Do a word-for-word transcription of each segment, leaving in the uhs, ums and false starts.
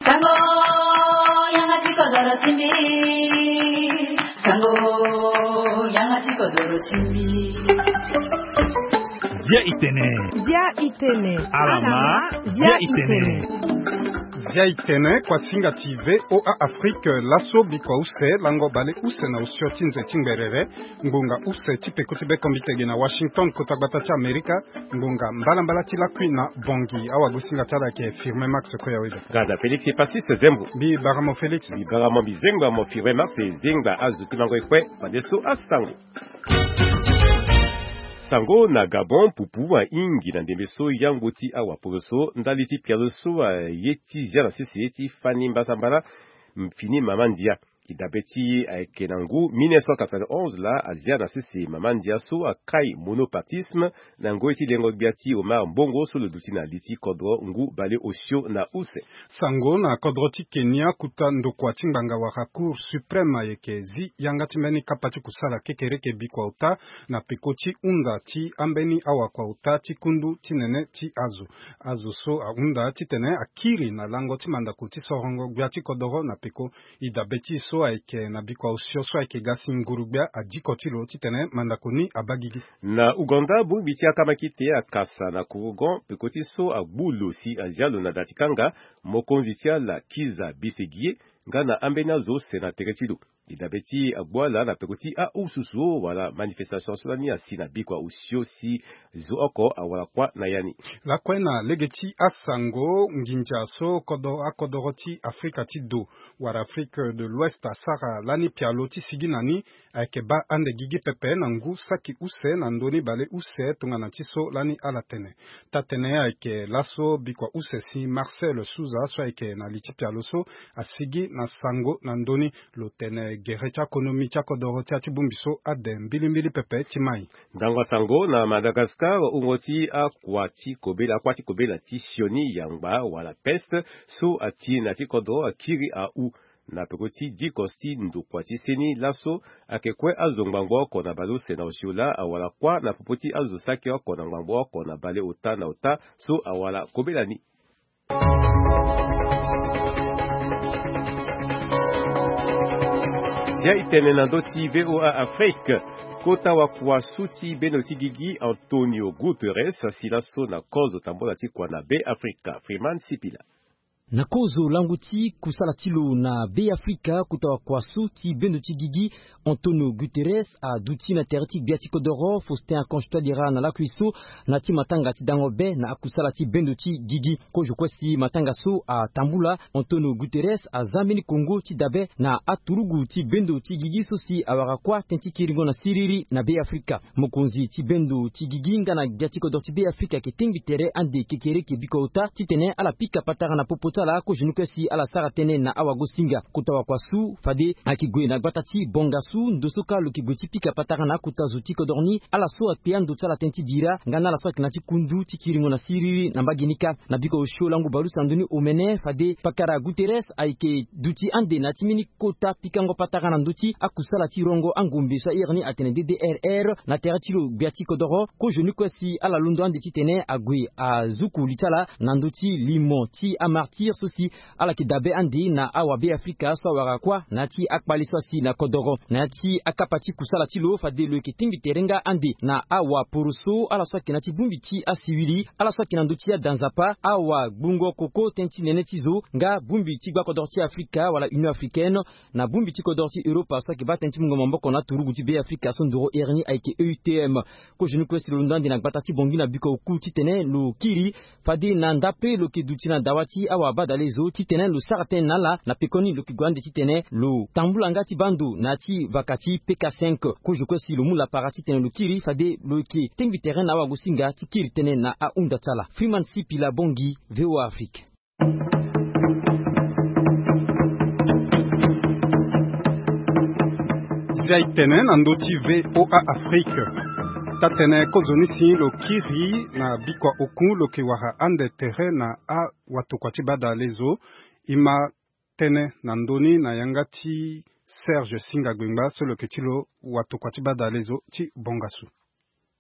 Sango, yanga ti kodoro ti mbi. Sango, yanga ti kodoro ti mbi. Dia itene. Dia itene. Alama. Dia itene. Dia itene, kuasinga ti VOA Afrique, laso bikua use, lango bale use na osio ti nze ti ngberere, ngbonga use ti peko ti bekombitege na Washington, kota gbata ti Amerika, ngbonga mbalambala ti lakui na Bongi. Awagosinga ti ala ayeke Firmin Max Koyaweda. Nga na Félix Epasis Zembo. Mbi bara mo Félix. Mbi bara mo, mbi zengba mo Firmin Max, e zengba azo ti mango e kue, fadeso asango. Sango na Gabon, pupu ahingi na ndembe so yango ti awaporo so, ndali ti pialo so aye ti zia na sese ti fani mbasambala, fini mama ndia. E dabe ti ayeke na ngu mille neuf cent quatre-vingt-onze laa, azia na sese mama ndia so akai monopartisme, na ngoi ti lengo gbia ti Omar Bongo so lo duti na li ti kodro ngu bale osio na use. Sango na kodro ti Kenya, kota ndokua ti ngbanga wala Cour suprême ayeke zi yanga ti mbeni kapa ti kusala kekereke bikua ota na peko ti hunda ti ambeni awakua-ota ti kundu ti nene ti azo. Azo so ahunda titene akiri na lango ti mandako ti sorongo gbia ti kodoro na peko. E dabe ti e so ayeke na bikua osio so ayeke ga si nguru-gbia adiko ti lo titene mandako ni abaa gigi. Na Ouganda, bongbi ti akamakite akasa na kurugon peko ti so agbu lo si azia lo na da ti kanga. Mokonzi ti ala Kizza Besigye nga na ambeni azo use na tere ti lo. E dabe ti agbu ala na peko ti ahususu wala manifestation so lani asi na bikua osio si zo oko awara kuâ na ya ni. Lakue na lege ti asango, nginza so kodoro, akodoro ti Afrika ti do wala Afrique de l'Ouest asara lani pialo ti sigi na ni ayeke baa ande gigi pepe na ngu saki use na ndö ni bale use tongana ti so lani ala tene. Taa-tënë ayeke laso bikua use si Marcel Souza so ayeke na li ti pialo so asigi na sango na ndö ni. Lo tene gere ti akonomi ti akodoro ti ya ti bongbi so ade mbilimbili pepe ti mai. Ndango asango na Madagascar, wungo ti akua ti kobela, akua ti kobela ti sioni yangba wala peste so ati na ti kodro akiri ahu. Na peko ti diko ti ndokua ti seni laso ayeke kue azo ngbangbo oko na bale use na osio laa awara kuâ na popo ti azo saki oko na ngbangbo oko na bale ota na ota so awara kobela ni. Sia e tene na ndö ti VOA Afrique. Kota wakua su ti bendo ti gigi Antonio Guterres asi laso na kozo tambola ti kua na Be Afrika. Freeman Sipila. Na kozo lango ti kusala ti lo na Be Afrika, kota wakua su ti bendo ti gigi Antonio Guterres aduti na tere ti gbia ti kodoro Faustin Archange Touadéra na lakui so na ya ti matanga ti dango be na akusala ti bendo ti gigi. Kozo kue si matanga so atambula, Antonio Guterres aza mbeni kongo ti dabe na aturugu ti bendo ti gigi so si awara kuâ tënë ti kiringo na siriri na Be Afrika. Mokonzi ti bendo ti gigi nga na gbia ti kodro ti Be Afrika ayeke tengbi tere ande kekereke bikua ota titene ala pika patara na popo ti ala kozoni kue si ala sara tënë na awagosinga. Kota wakua su fade ayeke gue na gbata ti Bongassou, ndo so kâ lo yeke gue ti pika patara na akota zo ti kodro ni, ala so akpe ando ti ala tënë ti bira nga na ala so ayeke na ya ti kundu ti kiringo na siriri na mbage ni kâ. Na bikua osio lango bale use na ndö ni omene fade pakara Guterres ayeke duti ande na ya ti mbeni kota pikango patara na ndö ti akusala ti rongo angombe so ahiri ni atene D D R R na tere ti lo gbia ti kodoro. Kozoni kue si ala londo ande titene ague azuku li ti ala na ndö ti limo ti amartyr so si ala yeke dabe ande na awabe Afrika so awara kuâ na ya ti akpale so asi na kodoro. Na ya ti akapa ti kusala ti lo fade lo yeke tingbi tere nga ande na awaporoso, ala so ayeke na ya ti bongbi ti asiwili, ala so ayeke na ndö ti ada nzapa, awagbungo koko tënë ti nene ti zo nga bongbi ti gbakodoro ti Afrika wala Union Africaine, na bongbi ti kodoro ti Europa so ayeke baa tënë ti mungo maboko na aturugu ti Be Afrika so ndoro iri ni ayeke E U T M. Kozoni kue si lo londo ande na gbata ti Bangui na bikua oku titene lo kiri fade na ndape lo yeke duti na dawa ti awabadale zo titene lo sara tënë na ala, na pekoni lo yeke gue ande titene lo tambula nga ti baa ndo na ya ti vaka ti P K cinq. Kozo kue si lo mu lapara titene lo kiri fade lo yeke tengbi tere na awagosinga ti kiri tënë na ahunda ti ala. Freeman Sipila Bangui, VOA Afrique. Zia e tene na ndö ti VOA Afrique. Taa-tënë kozoni si lo kiri na bikua oku lo yeke wara ande tere na awatokua ti badale zo. E ma tënë na ndö ni na yanga ti Serge Singa Gbengba so lo yeke ti lo watokua ti badale zo ti Bongassou.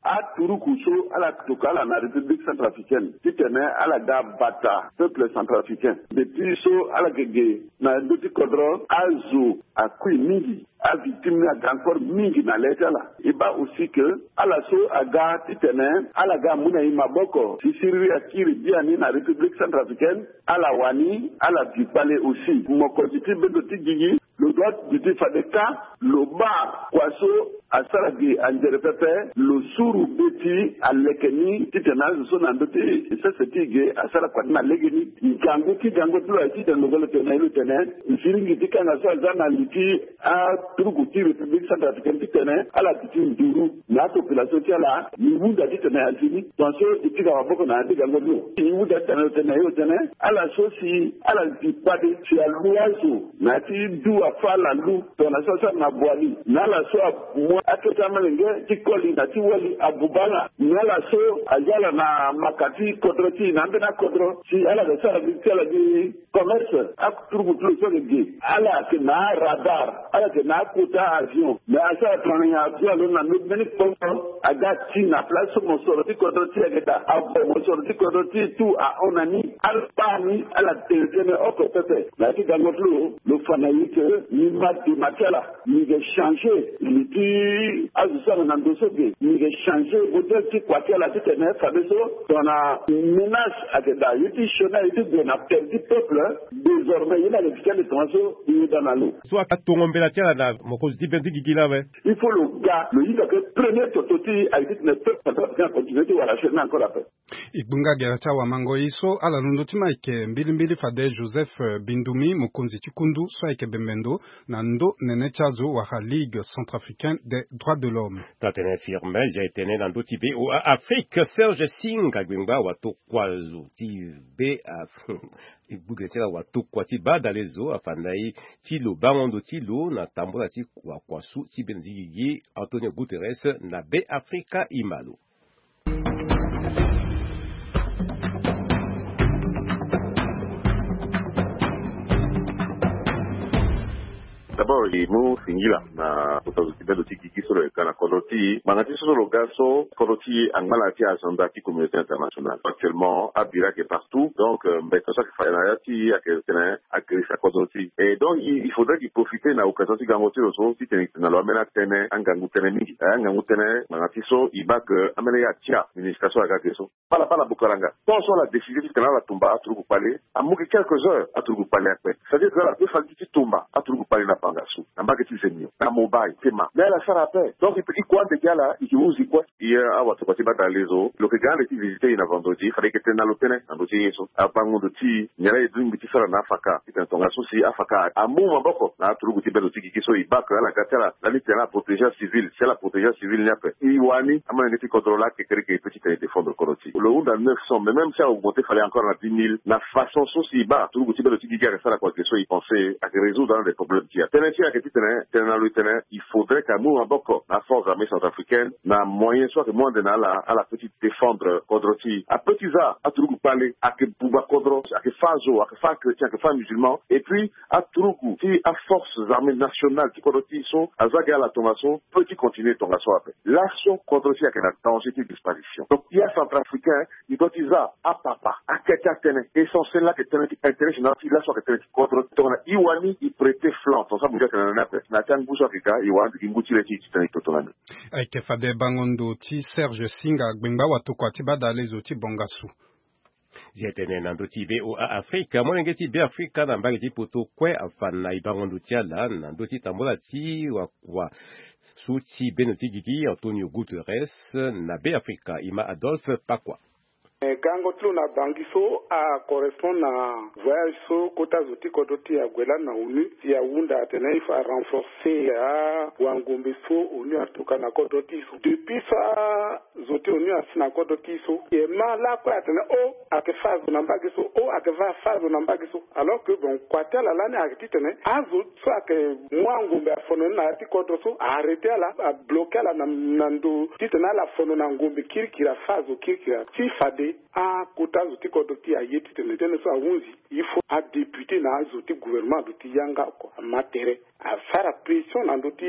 Aturuku so ala toka ala na République centrafricaine titene ala ga bata peuple centrafricain. Depuis so ala yeke ge na ndö ti kodro, azo akui mingi, avictime ni aga encore mingi na le ti ala. E baa aussi que ala so aga titene ala ga amu na e maboko si siriri akiri biani na République centrafricaine, ala wani ala bi kpale aussi. Mokonzi ti bendo ti gigi, lo doit duti fade kâ lo baa kua so asara gi anzere pepe, lo suru be ti aleke ni titene azo so na ndö ti sese ti e ge asara kua ni na legeni. Ngangu ti gango ti lo aye titene lo ga lo tene na e lo tene, nsiringi ti kanga so aza na li ti aturuku ti République centrafricaine titene ala duti nduru na apopulation ti ala. E hunda titene azi ni, tongaso e tika maboko na ya ti gango ti lo. E hunda titene lo tene na e lo tene, ala so si ala zi kpade si alu azo na ya ti du afâ ala lu, tongana so asara na Boali, na ala so amu akete amalenge ti koli na ti wali abuba ala, na ala so aza ala na maka ti kodro ti e na ambeni akodro si ala ga sara gi ti ala gi commerce. Aturuku ti lo so ayeke ge, ala yeke na aradar, ala yeke na akota avion, me asara tongana nyen avion alondo na mbeni kpoko aga ti na place so mosoro ti kodro ti e ayeke daa, avo mosoro ti kodro ti e tout ahon na ni. Ala baa ni ala tene tënë oko pepe. Na ya ti gango ti lo, lo fa na e ke ni ma dema ti ala. Ni yeke changer li ti azo so ayeke na ndo so ge. Ni yeke changer modèle ti kua ti ala titene fadeso tongana menace ayeke daa, ye ti sioni aye ti gue na tere ti peuple, désormais ye ni ayeke duti ande tongaso e yeda na lo. So atongo mbela ti ala na mokonzi ti be ti gigi laa ape. Il faut lo ga lo hinga ke premier toto ti e ayeke titene peuple centrafricain acontinuer ti wara sioni encore ape. E gbunga gere ti awamango ye so ala londo ti ma ayeke mbilimbili fade Joseph, eh, Bindumi, mokonzi ti kundu so ayeke bembe ndo na ndö nene ti azo wala Ligue centrafricaine des droits de l'homme. Taa tënë firme, zia e tene na ndö ti VOA Afrique, Serge Singh agbengba watokua zo ti be Af-, e gbu gere ti ala watokua ti badale zo afa na e ti lo bango ndo ti lo na tambula ti wakua su ti bendo ti gigi Antonio Guterres na be Afrika. E ma lo. D'abord, e mu singila na kota zo ti bendo ti gigi so lo yeke ga na kodro ti e. Ngbanga ti so so lo ga so, kodro ti e angba na ya ti agenda ti communauté internationale. Actuellement, abira ayeke partout. Donc, euh, mbeta so ayeke fa na ya ti e ayeke tene agrisa kodro ti e. Et donc, il, il faudrait qu'il profite na occasion ti gango ti lo so titene e tene na lo ambeni atënë, angangu tënë mingi. Eh, angangu tënë, ngbanga ti so e baa ke ambeni ye atia ministre so aga ge so. Baa la, baa la Bukaranga. Tant so ala décidé titene ala tumba aturugu kpale, amu gi quelques heures aturugu kpale akpe. C'est-à-dire que ala peut fali ti tumba aturugu kpale na bangasu, na mbage ti zenio, na mobile, tema. Mais ala sara ape. Donc, e kue ande gi ala, e ke hunzi kue. Ye awatokua ti badale zo, lo yeke ga ande ti visiter e na vendredi, fade e yeke tene na lo tënë na ndö ti ye so. Abango ndo ti e, nyen la e lingbi ti sara na afaka titene tongaso si afaka amu maboko na aturugu ti bendo ti gigi so e baa ke ala ga ti ala lani titene ala protéger acivil, si ala protéger acivil ni ape. E wani amolenge ti kodro laa kekereke e peut titene e défendre kodro ti e. Lo hunda neuf cents, mais même si a augmenter fade encore na dix mille, na façon so si e baa aturugu ti bendo ti gigi ayeke sara kua ge so e pense ayeke résoudre ande problème ti e. Tënë ti e ayeke titene, tene na lo e tene, il faudrait que amu maboko na forces armées centrafricaines na moyen so ayeke mu ande na ala, ala peut ti défendre kodro ti e. Apeut ti za aturugu kpale ayeke buba kodro, ayeke fâ azo, ayeke fâ achrétien, ayeke fâ amusulman. Et puis aturugu ti aforces armées nationales ti kodro ti e so aza gi ala tongaso peut ti continuer tongaso ape. Laso kodro ti e ayeke na danger ti disparition. Donc e acentrafricain, e doit ti za apapa akete atënë. Essentiel la ayeke tënë ti intérêt général ti e, laso ayeke tënë ti kodro. Tongana e wani e prêter flanc, tongaso abuti ayeke na ni ape. Na ya ti angu so ayeke ga, e wani gi ngu ti le ti e titene e toto na ni. Ayeke fade bango ndo ti Serge Singh agbengba watokua ti badale zo ti bongasu. Zia e tene na ndö ti VOA Afrika, molenge ti Beafrika na mbage ti poto kue afa na e bango ndo ti ala na ndö ti tambula ti wakua su ti bendo ti gigi Antonio Guterres na Beafrika. E ma Adolphe Pakua. Eh, gango ti lo na Bangui so acorrespond na voyage so kota zo ti kodro ti e ague lani na ONU, si ahunda atene il faut arenforcer awangombe so ONU atoka na kodro ti e so. Depuis so azo ti ONU asi na kodro ti e so, e ma lakue atene o ayeke fâ azo na mbage so, o ayeke fâ azo na mbage so. Alors que bon, kua ti ala lani ayeke titene azo so ayeke mu angombe afono ni na ya ti kodro so, a arrêter ala, a bloquer ala na, na ndo titene ala fono na ngombe kirikiri, afâ azo kirikiri. Ti fade Akota azo ti kodro ti aye titene tënë so ahunzi, il faut adéputé na azo ti gouvernement aduti yanga oko ama tere, asara pression na ndö ti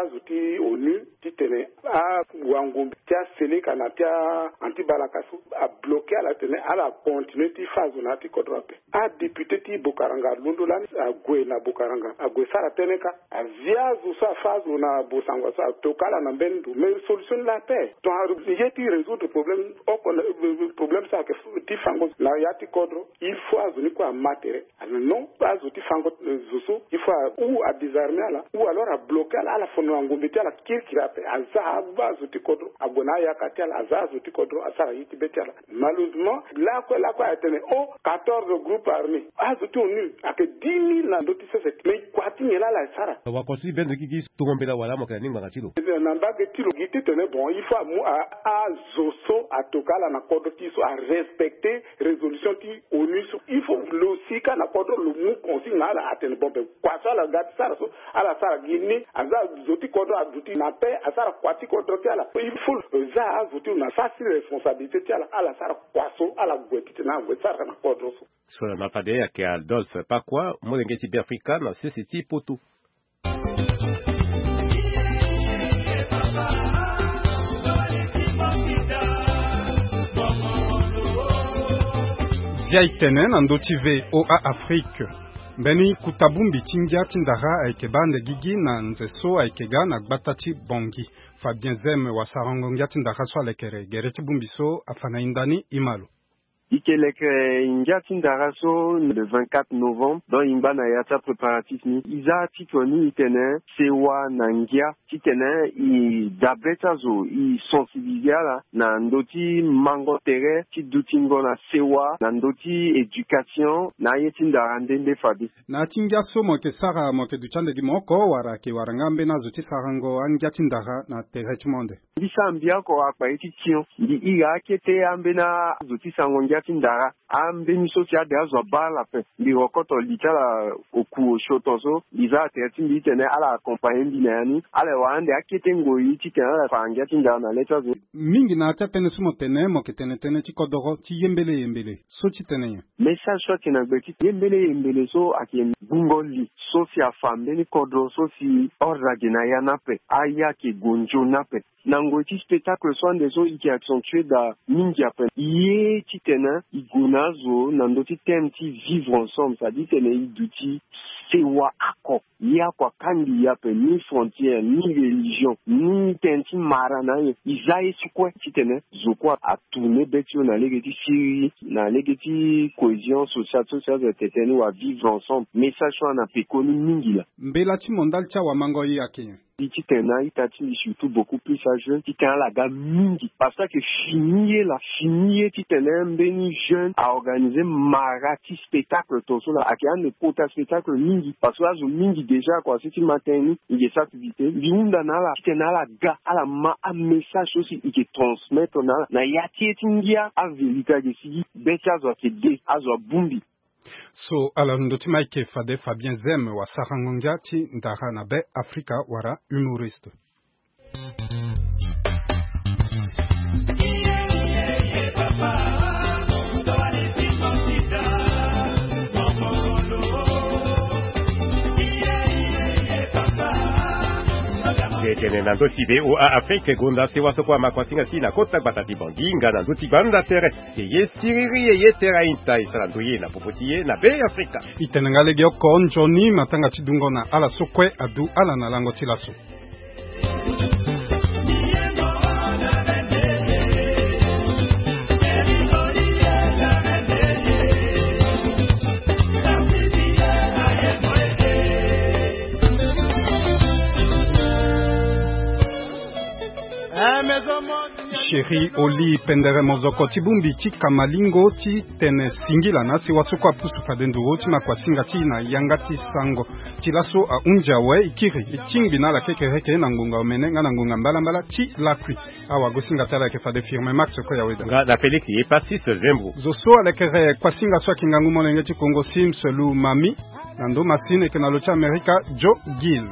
azo ti onu titene awangombe ti aseleka na ti a-anti balaka so abloke ala titene ala continue ti fâ azo na ya ti kodro ape. Adéputé ti Bokaranga alondo lani ague na Bokaranga, ague sara tënë kâ. Azia azo so afâ azo na Bossangoa so atoka ala na mbeni ndo, mais solution ni laa ape. Donc aye ti résoudre problème oko na, euh, problème so ayeke ti fango na ya ti kodro. Il faut azo ni kue ama tere. Ah non, azo ti fango, euh, zo so il faut a-, ou adésarmer ala ou alors abloke ala, ala fono na ngombe ti ala kirikiri ape. Aza azo ti kodro ague na ayaka ti ala, aza azo ti kodro asara ye ti be ti ala. Malheureusement lakue lakue atene o quatorze groupes armés, azo ti onu ayeke dix mille na ndö ti sese, mais kua ti nyen laa ala sara? Wakonso ti bendo gigi tongo mbela wala mo yeke na ni ngbanga ti lo. Na mbage ti lo gi titene bon, il faut amu a-, azo so atoka ala na kodro ti so arespecter résolution ti onu so. Il faut lo si kâ na kodro lo mu consigne na ala atene bon, ben kua so ala ga ti sara so ala sara gi ni. Aza zo ti kodro aduti na paix, asara kua ti kodro ti ala. Il faut lo za azo ti lo na sara ti responsabilité ti ala, ala sara kua so ala gue titene ala gue sara na kodro so. So na ma fade ayeke Adolphe Pakua, molenge ti Beafrika na sese ti poto. Zia e tene na ndö ti V O A Afrique. Mbeni kota bongbi ti ngia ti ndara ayeke baa ande gigi na nze so ayeke ga na gbata ti Bangui. Fabien Zem wasarango ngia ti ndara so alekere gere ti bongbi so afa na e ndani, e ma lo. E yeke leke ngia ti ndara so le vingt-quatre novembre, donc e ngba na ya ti apréparatif ni. E za titre ni e tene sewa na ngia, titene e dabe ti azo, e sensibiliser ala na ndö ti mango tere ti dutingo na sewa na ndö ti éducation na aye ti ndara nde nde fade. Na ya ti ngia so mo yeke sara, mo yeke duti ande gi mo oko wala ayeke wara nga ambeni azo ti sarango angia ti ndara na tere ti mo ande? Mbi sara mbi oko akpa ye ti tion. Mbi iri akete ambeni azo ti sarango ngia ti ndara. Ambeni so si ade azo abaa ala ape, mbi rokoto li ti ala oku osio ton so, mbi za atere ti mbi titene ala accompagner mbi na ya ni. Ala wara ande akete ngoi titene ala fa ngia ti ndara na le ti azo. Mingi na ya ti atënë so mo tene, mo yeke tene tënë ti kodoro ti yembele yembele. So ti tene nyen? Message so ayeke na gbe ti yembele yembele so ayeke gbungo li so si afa mbeni kodro so si ordre ayeke na ya ni ape, aya ayeke gue nzoni ape. Na ngoi ti spectacle so ande so e yeke accentuer daa mingi ape. E ye titene e gue na azo na ndö ti thème ti vivre ensemble, c'est-à-dire titene e duti sewa oko. Ye oko akangbi e ape, ni frontière, ni religion, ni tënë ti mara na anyen. E za ye so kue titene zo kue atourner be ti lo na lege ti siriri, na lege ti cohésion sociale, so si azo tene tënë ni wala vivre ensemble. Message so ana pekoni mingi laa. Mbela ti mo ndali ti awamango ye ayeke nyen? Mbi titene na a-ita ti mbi, surtout beaucoup plus ajeune, titene ala ga mingi. Parce que ayeke fini ye laa, fini ye titene mbeni jeune a organiser mara ti spectacle ton so laa. Ayeke ande kota spectacle mingi, parce que azo mingi déjà kua si ti ma tënë ni, e yeke sara publicité. Mbi hunda na ala titene ala ga, ala ma amessage so si e yeke transmettre na ala na ya ti ye ti ngia, avérité ayeke sigi. Be ti azo ayeke de, azo abongbi. So ala ndö ti Mike fade Fabien Zem wasarango ngia ti ndara na Be Afrika wala humoriste. Tene na ndö ti V O A Afrique, gonda sewa so kue ama kuasinga ti e na kota gbata ti Bangui nga na ndö ti gbanda tere. Ye siriri ye ye tere aita e sara ndoye na popo ti ye na Be Afrika. E tene nga legeoko nzoni matanga ti dungo na ala so kue adu ala na lango ti laso. Chéri Oli Pendere, mozoko ti bongbi ti kamalingo ti tene singila na sewa so kue apusu fade nduru ti makuasinga ti e na yanga ti sango. Ti laso ahunzi awe, e kiri e tingbi na ala kekereke na ngonga omene nga na ngonga mbalambala ti lakui. Awagosinga ti ala ayeke fade Firmin Max Koyaweda. Nga na Félix Epassis Zembro. Zo so alekere kuasinga so ayeke ngangu molenge ti Kongo Sims Lumami. Na ndo masini ayeke na lo ti Amerika Joe Gill.